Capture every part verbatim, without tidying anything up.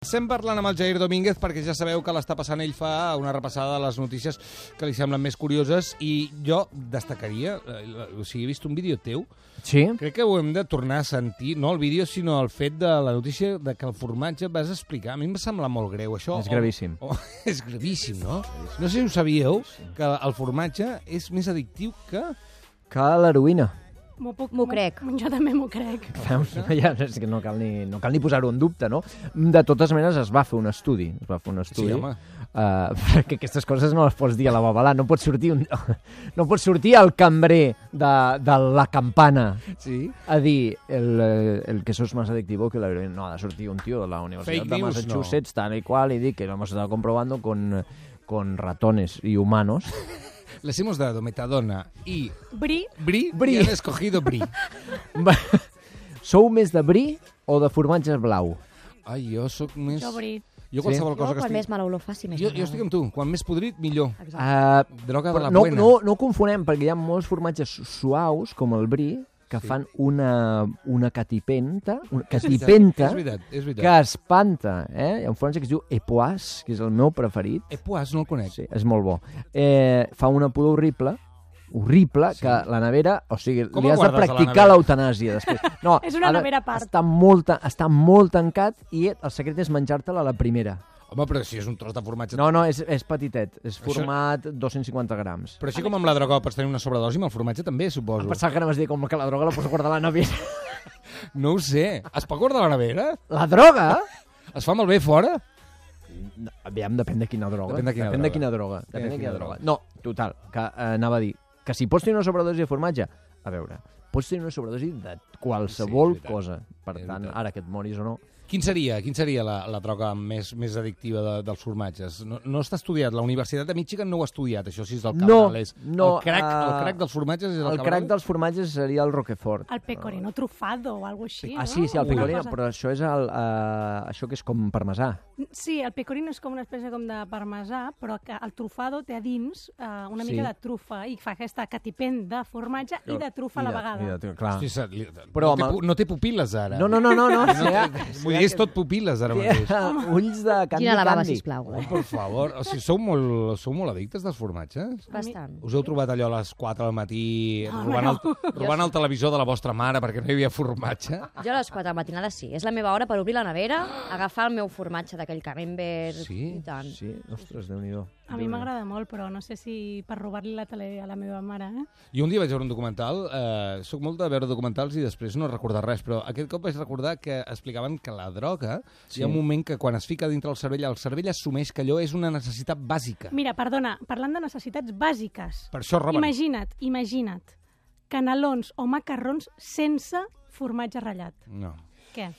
Estem parlant amb el Jair Domínguez perquè ja sabeu que l'està passant, ell fa una repassada de les notícies que li semblen més curioses i jo destacaria, o sigui, he vist un vídeo teu, sí? Crec que ho hem de tornar a sentir, no el vídeo sinó el fet de la notícia de que el formatge vas explicar, a mi em sembla molt greu això. És gravíssim. O, o, és gravíssim, no? No sé si ho sabíeu, que el formatge és més addictiu que... Que l'heroïna. M'ho puc... M'ho crec. Jo també m'ho crec. Veus? Ja, és que no cal ni, no cal ni posar-ho en dubte, no? De totes maneres, es va fer un estudi. Es va fer un estudi. Sí, home. Uh, perquè aquestes coses no les pots dir a la babalà. No pot sortir, un, no pot sortir el cambrer de, de la campana sí? a dir el, el que eso es más adictivo que la heroína. No, ha de sortir un tío de la Universidad Fake de news, Massachusetts, no. Tal y cual, y di que lo hemos estado comprobando con, con ratones y humanos. Les hemos dado metadona i... Bri. Bri, Bri. i han escogido Bri. Sou més de bri o de formatge blau? Ai, jo sóc més... Jo Bri. Jo qualsevol Jo, cosa que quan estigui... més mala olor faci, més Jo, jo m'agrada. estic amb tu. Quan més podrit, millor. Uh, Droga de la no, buena. no, no ho confonem, perquè hi ha molts formatges suaus, com el bri, que Sí. fan una, una catipenta, una catipenta És veritat, és veritat. que espanta. Eh? Hi ha un formatge que es diu Epoisse, que és el meu preferit. Epoisse, no el conec. Sí, és molt bo. Eh, fa una pudor horrible, horrible, Sí. que la nevera... O sigui, Com li el has de guardes a la practicar nevera? l'eutanàsia després. No, És una ha de- nevera a part. Està molt, està molt tancat i el secret és menjar-te-la a la primera. Home, però si és un tros de formatge... No, no, és, és petitet. És Això- format dos-cents cinquanta grams. Però així com amb la droga pots tenir una sobredosi, amb el formatge també, suposo. Pensava que anaves a dir com que la droga la pots guardar a la nevera. No ho sé. Es pot guardar a la nevera? La droga? Es fa malbé fora? No, aviam, depèn de quina droga. Depèn de quina depèn droga. de quina droga. Depèn Depèn de de quina quina droga. droga. No, total, que eh, anava a dir que si pots tenir una sobredosi de formatge, a veure, pots tenir una sobredosi de qualsevol Sí, és veritat. cosa. Per És tant, veritat. ara que et moris o no... Quin seria, quin seria la, la droga més, més addictiva de, dels formatges? No, no està estudiat. La Universitat de Michigan no ho ha estudiat, això sí és del No, Cabrales. no, el, crack, uh, el crack dels formatges és el, El Cabrales? crack dels formatges seria el Roquefort. El pecorino trufado o alguna cosa així, Ah, no? sí, sí, el Una pecorino, cosa- però això és el, uh, això que és com parmesà. Sí, el pecorino és com una espècie com de parmesà, però que el trufado té a dins uh, una Sí. mica de trufa i fa aquesta catipent de formatge i de trufa a la I de- vegada. i de- clar. Hosti, se- li- Però no, té, amb el- pu- no té pupil·les, ara. No, no, no, no. no, No sí, té, vull dir, és tot pupil·les, ara mateix. Té ulls de candy Quina lavava, candy. sisplau. Oh, per favor. O sigui, sou molt, sou molt addictes dels formatges? Bastant. Us heu trobat allò a les quatre del matí No, robant, no. el, robant el televisor de la vostra mare perquè no hi havia formatge? Jo a les quatre de la matinada sí. És la meva hora per obrir la nevera, agafar el meu formatge d'aquell camembert Sí? i tant. Sí, ostres, Déu-n'hi-do. A mi m'agrada molt, però no sé si per robar-li la tele a la meva mare, eh? Jo un dia vaig veure un documental, eh, soc molt de veure documentals i després no recordar res, però aquest cop vaig recordar que explicaven que la droga, Sí. hi ha un moment que quan es fica dintre el cervell, el cervell assumeix que allò és una necessitat bàsica. Mira, perdona, parlant de necessitats bàsiques, Per això roben. imagina't, imagina't, canelons o macarrons sense formatge ratllat. No, Què?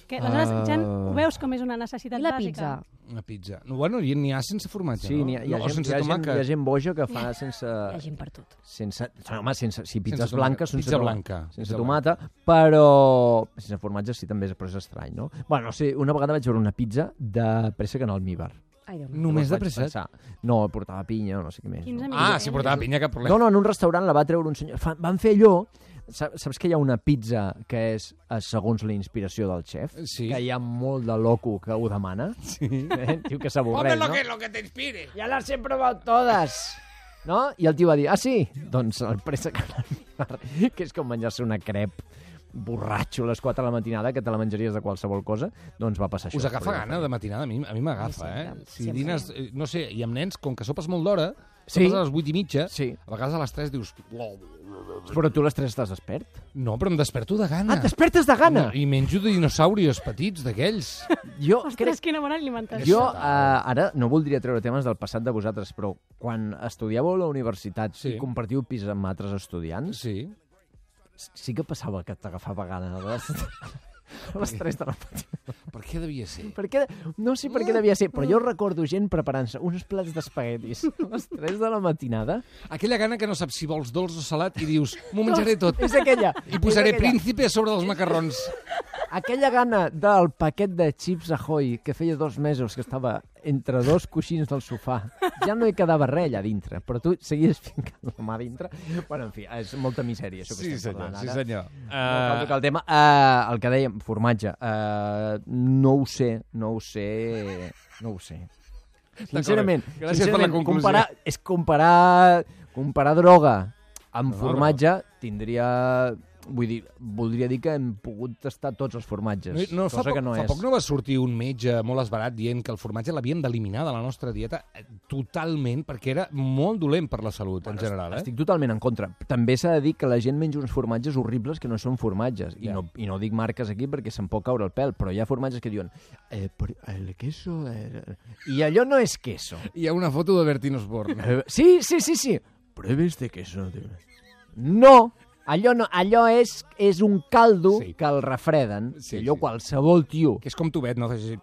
Que, aleshores, Ah. ja ho veus com és una necessitat I la bàsica? pizza? una pizza. No, bueno, n'hi n'hi ha sense formatge, Sí, no? n'hi ha, hi ha, no, o gent, sense hi, ha gent, tomàquet. hi ha gent boja que fa sense... Hi ha gent per tot. sense home, sense, sí, pizzas Sense blanques, tomàquet. sense, Pizza toma- blanca. sense Pizza tomata, però sense formatge sí també és, però és estrany, no? Bueno, no sé, una vegada vaig veure una pizza de préssec en almíbar. Ai, Déu meu. Només de Llavors vaig préssec? pensar, No, portava pinya o no sé què més. Quins No? amics Ah, tens? si portava pinya, cap problema. No, no, en un restaurant la va treure un senyor. Fa, van fer allò... Saps, saps que hi ha una pizza que és eh, segons la inspiració del xef? Sí. Que hi ha molt de loco que ho demana. Sí. Eh? Diu que s'avorreix, no? lo que te inspire. Ja las he probado todas. No? I el tio va dir, ah, sí? Doncs el préssec en almíbar, que és com menjar-se una crep borratxo a les quatre de la matinada, que te la menjaries de qualsevol cosa, doncs va passar això. Us agafa Però ja gana de matinada? A mi a mi m'agafa, eh? Sempre, Si sempre. dines, eh, no sé, i amb nens, com que sopes molt d'hora, Sí. sopes a les vuit i mitja, Sí. a vegades a les tres dius... Però tu a les tres estàs despert? No, però em desperto de gana. Ah, et despertes de gana? I menjo dinosaurios petits d'aquells. Jo Ostres, crec... quina bona alimentació. Jo, eh, ara, no voldria treure temes del passat de vosaltres, però quan estudiàveu a la universitat Sí. i compartiu pis amb altres estudiants, Sí. sí que passava que t'agafava gana a les, a les tres de la matinada. Per què devia ser? Per què? No sé per què devia ser, però jo recordo gent preparant-se uns plats d'espaguetis a les tres de la matinada. Aquella gana que no saps si vols dolç o salat i dius, m'ho menjaré tot. És aquella. I posaré és aquella. príncipe a sobre dels macarrons. aquella gana del paquet de Chips Ahoy que feia dos mesos que estava entre dos coixins del sofà. Ja no hi quedava res allà dintre, però tu seguies fincant la mà dintre. Bueno, en fi, és molta misèria, això que Sí, estem senyor, parlant sí, ara. senyor. No cal tocar el tema. Uh, el que dèiem, formatge. Uh, no ho sé, no ho sé, no ho sé. Sincerament, Gràcies per la sincerament conclusió. comparar, és comparar, comparar droga amb No, formatge tindria... Vull dir, voldria dir que hem pogut tastar tots els formatges, No, no, fa, cosa poc, que no fa és. poc no va sortir un metge molt esbarat dient que el formatge l'havíem d'eliminar de la nostra dieta eh, totalment, perquè era molt dolent per la salut, en general. Eh? Estic totalment en contra. També s'ha de dir que la gent menja uns formatges horribles que no són formatges. I, Ja. no, I no dic marques aquí perquè se'n pot caure el pèl, però hi ha formatges que diuen eh, per, el queso... Eh... I allò no és queso. Hi ha una foto de Bertín Osborne. Eh, sí, sí, sí, sí. Pruebe este queso. Tío. No, allò, no, allò és, és un caldo Sí. que el refreden. Sí, Sí, allò sí. qualsevol tio... Que és com tubet, no? Fes així,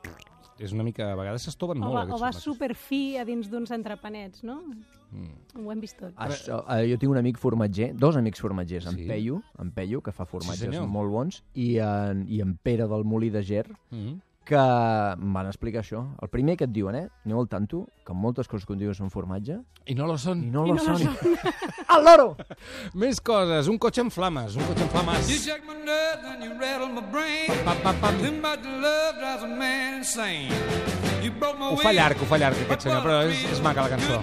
és una mica... A vegades s'estoven O molt, va, o aquests va formatges. superfi a dins d'uns entrepanets, no? Mm. Ho hem vist tot. Això, eh, jo tinc un amic formatger, dos amics formatgers, en Sí. Peyu, en Peyu, que fa formatges senyor. molt bons, i en, i en Pere del Molí de Ger, Mm. que em van explicar això. El primer que et diuen, eh? Aneu al tanto, que moltes coses que diuen són formatge, I no lo són. i no I lo no lo són. Al loro! Més coses. Un cotxe en flames. Un cotxe en You flames. shake my nerves and you rattle my brain. Pam, pam, pam. Too much love drives a man insane. You broke my Ho fa llarg, ho fa llarg, aquest senyor, però és, és maca la cançó.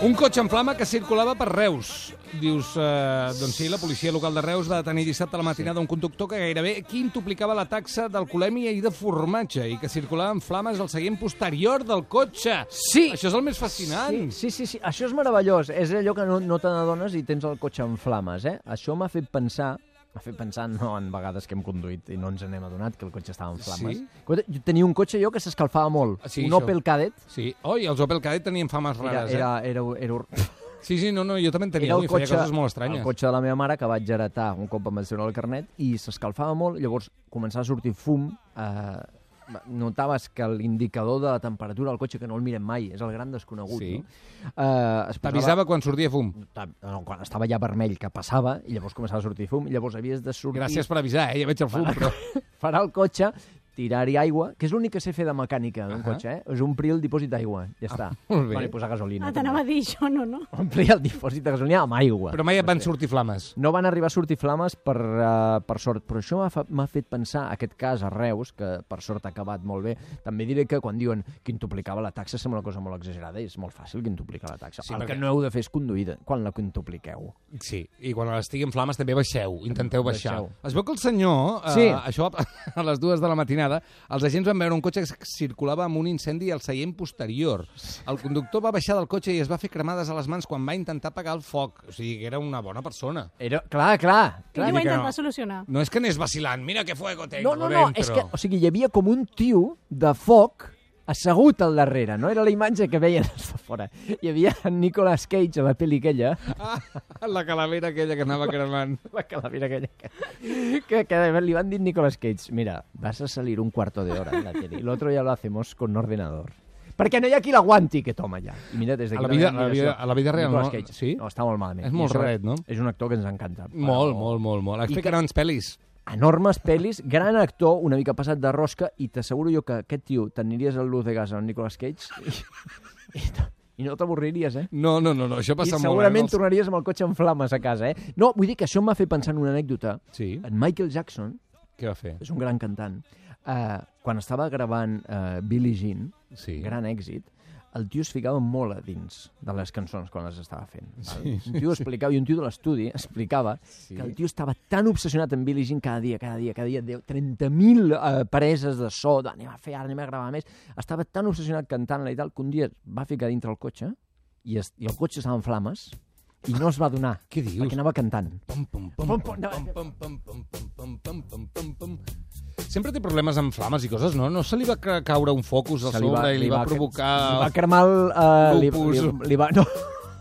Un cotxe en flama que circulava per Reus. Dius, eh, doncs sí, la policia local de Reus va detenir dissabte a la matinada un conductor que gairebé quintuplicava la taxa d'alcoholèmia i de formatge i que circulava en flames al seient posterior del cotxe. Sí! Això és el més fascinant. Sí, sí, sí, sí, això és meravellós. És allò que no, no te n'adones i tens el cotxe en flames, eh? Això m'ha fet pensar, m'ha fet pensar no en vegades que hem conduït i no ens n'hem adonat que el cotxe estava en flames. Sí? Jo tenia un cotxe jo que s'escalfava molt, Ah, sí, un això. Opel Kadett. Sí. Oi, els Opel Kadett tenien fames Era, rares, era, era, era, eh? Sí, sí, no, no, jo també en tenia era un i el feia cotxe, coses molt estranyes. el cotxe de la meva mare que vaig heretar un cop em vaig treure el carnet i s'escalfava molt, llavors començava a sortir fum, eh, notaves que l'indicador de la temperatura del cotxe, que no el mirem mai, és el gran desconegut, Sí. no? Eh, es posava- T'avisava quan sortia fum. No, quan estava ja vermell, que passava, i llavors començava a sortir fum, i llavors havies de sortir... Gràcies per avisar, eh? Ja veig el fum, però... Parar el cotxe, tirar-hi aigua, que és l'únic que sé fer de mecànica d'un Ahà. cotxe, eh? És omplir el dipòsit d'aigua, ja està. molt bé. Bueno, i posar gasolina. Ah, t'anava a dir això, no, no? Omplir el dipòsit de gasolina amb aigua. Però mai et van sortir flames. No van arribar a sortir flames per, uh, per sort, però això m'ha fa- m'ha fet pensar, aquest cas a Reus, que per sort ha acabat molt bé, també diré que quan diuen quintuplicava la taxa sembla una cosa molt exagerada i és molt fàcil quintuplicar la taxa. Sí, el perquè- que no heu de fer és conduir de- quan la quintupliqueu. Sí, i quan estigui en flames també baixeu, intenteu baixar. Baixeu. Es veu que el senyor, eh, Sí. això a les dues de la matinada, els agents van veure un cotxe que circulava amb un incendi al seient posterior. El conductor va baixar del cotxe i es va fer cremades a les mans quan va intentar apagar el foc. O sigui, que era una bona persona. Era, clar, clar. I clar. ho va que no. intentar solucionar. No és que anés vacilant, mira que fuego tengo No, no, no, dentro. és que, o sigui, hi havia com un tio de foc assegut al darrere, no? Era la imatge que veien des de fora. Hi havia en Nicolas Cage a la pel·li aquella, Ah, la calavera aquella que anava cremant. la calavera aquella, que, que, que li van dir Nicolas Cage, mira, vas a salir un cuarto de hora en la tele, y lo otro ya lo hacemos con ordenador. Perquè no hi ha qui l'aguanti, que toma ja. I mira, des d'aquí A la la vida- meva a la vida- admiració. a la vida real, Nicolas no? Cage. Sí? No, està molt malament. És molt I això raret, no? És un actor que ens encanta. Molt, Però- molt, molt, molt. Ha I fet que- grans pel·lis. Enormes pel·lis, gran actor, una mica passat de rosca, i t'asseguro jo que aquest tio t'aniries al Luz de Gas al Nicolas Cage i, i, i no t'avorriries, eh? No, no, no, no, això I passa molt. segurament eh? Els- tornaries amb el cotxe en flames a casa, eh? No, vull dir que això m'ha fet pensar en una anècdota. Sí, En Michael Jackson, què va fer? és un gran cantant, eh, quan estava gravant eh, Billie Jean, Sí. gran èxit, el tio es ficava molt a dins de les cançons quan les estava fent. Val? Un tio explicava, i un tio de l'estudi explicava Sí. que el tio estava tan obsessionat amb Billie Jean cada dia, cada dia, cada dia, deu- trenta mil eh, preses de so, de, anem a fer ara, anem a gravar més. Estava tan obsessionat cantant-la i tal, que un dia es va ficar dintre el cotxe i, es, i el cotxe estava en flames i no es va donar, Què dius? perquè anava cantant. Pum, pum, pum, Pum, pum, pum, no. pum, pum, pum, pum, pum, pum, pum, pum, pum. Sempre té problemes amb flames i coses, no? No se li va ca- caure un focus al Se li sobre va- i li va li provocar... va cremar el... Uh, li, lupus. li, li va, no,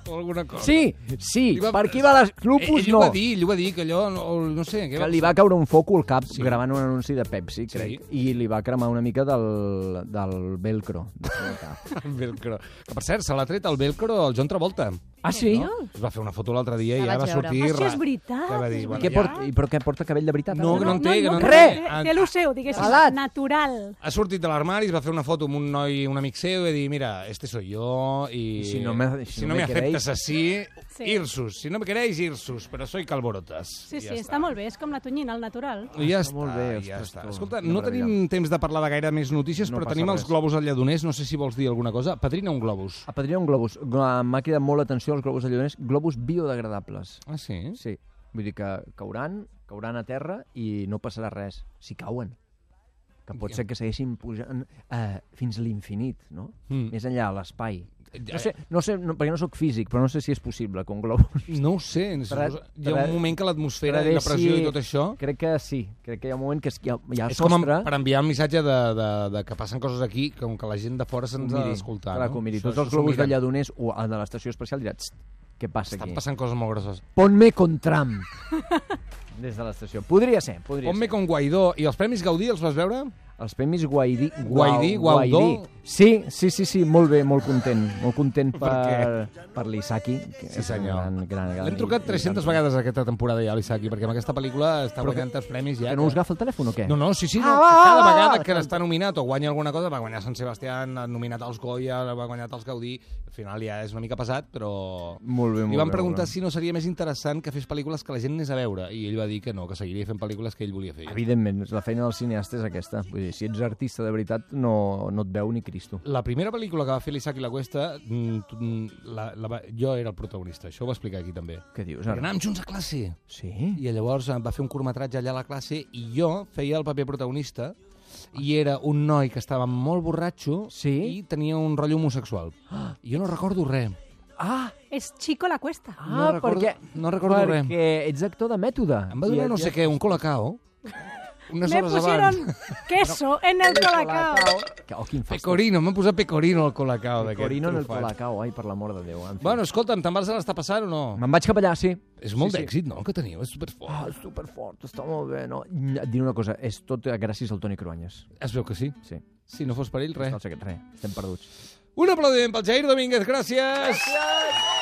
o alguna cosa. Sí, sí, va- per aquí va les... Lupus ell no. ho va dir, ell ho va dir, que allò, no, no sé... Què Que li va caure un foco al cap Sí. gravant un anunci de Pepsi, crec, Sí. i li va cremar una mica del, del velcro. del cap. El velcro. Que, per cert, se l'ha tret el velcro al John Travolta. Ah, sí? No? Es va fer una foto l'altre dia i La ja va vaig veure. sortir... Hòstia, és ra- veritat, Que va dir, és bueno, Què ja... porta, i però què porta cabell de veritat? No, ara? que no en té, que no en té. Res! Ah, Té el seu, diguéssim, Salat. natural. Ha sortit de l'armari, es va fer una foto amb un noi, un amic seu, i va dir, mira, este soy yo, y... Y si no me- si si no no me me queréis- aceptas así, Sí. irsus. Si no me queréis, irsus, però soy calborotas. Sí, I sí, ja està molt bé, és com la tonyina, el natural. I ja Està està, molt bé, ja ostres, està. tu. Escolta, Quina no meravella. tenim temps de parlar de gaire més notícies, No però passa tenim els res. globus al lledoners, no sé si vols dir alguna cosa. Padrina un globus. A Padrina un globus. M'ha cridat molt l'atenció als globus de lledoners. Globus biodegradables. Ah, sí? Sí. Vull dir que cauran, cauran a terra i no passarà res. Si cauen. Que pot ser que segueixin pujant eh, fins a l'infinit, no? Mm. Més enllà, a l'espai. Ja- No sé, no sé no, perquè no sóc físic, però no sé si és possible que un globus... No ho sé. Tra- Suposo... Hi ha tra- un moment que l'atmosfera i la travessi- pressió i tot això... Crec que sí. Crec que hi ha un moment que hi ha, hi ha És com sostre... per enviar un missatge de, de, de que passen coses aquí, com que la gent de fora se'ns ha Miri, d'escoltar. clar, No? que ho miri. Això- Tots els això s'ho globus de miren. lledoners o el de l'estació espacial diran "Txt, què passa Estan aquí? passant coses molt grosses. Ponme con Trump. Des de l'estació. Podria ser, podria Ponme ser. con Guaidó. I els Premis Gaudí els vas veure? Els premis Guaidí... Guaidí, Guau- Guaidó? Guaidí. Sí, sí, sí, sí, molt bé, molt content. Molt content Per per, per l'Isaki. que Sí, és un senyor. Gran, gran, gran, L'hem trucat tres-centes vegades aquesta temporada ja, l'Isaki, perquè amb aquesta pel·lícula està Però guanyant els premis ja. Que no us agafa el telèfon o què? No, no, sí, sí, no, Ah, que va, cada va, vegada va, que va. està nominat o guanya alguna cosa, va guanyar Sant Sebastián, ha nominat als Goya, va guanyar els Gaudí, al final ja és una mica pesat, però... Molt bé, molt Li van bé, preguntar molt bé. si no seria més interessant que fes pel·lícules que la gent anés a veure, i ell va dir que no, que seguiria fent pel·lícules que ell volia fer. Evidentment, la feina del cineasta és aquesta. Vull dir, si ets artista de veritat, no, no et veu ni Cristo. La primera pel·lícula que va fer l'Isaac i la Cuesta, mm, tu- mm, la, la, va- jo era el protagonista, això ho va explicar aquí també. Què dius, Perquè ara? anàvem junts a classe. Sí? I llavors em va fer un curtmetratge allà a la classe i jo feia el paper protagonista i era un noi que estava molt borratxo Sí? i tenia un rotllo homosexual. I jo no recordo res. Ah, És Chico la Cuesta. ah No recordo- perquè, no recordo res. perquè ets actor de mètode. Em va donar I no et- sé què, un colacao, unes Me hores pusieron abans. queso en el colacao. Que- Oh, quin fàstic. Pecorino, m'han posat pecorino al colacao d'aquest Pecorino en el trufat. colacao, ai, per l'amor de Déu. En fi. Bueno, escolta'm, te'n vas a l'estar passant o no? Me'n vaig cap allà, sí. És molt sí, sí. d'èxit, no?, el que teniu, és superfort. Ah, és superfort, està molt bé, no? Et diré una cosa, és tot gràcies al Toni Cruanyes. Es veu que sí. Sí, Si no fos per ell, res. no sé què, res, estem perduts. Un aplaudiment pel Jair Domínguez, gràcies! Gràcies!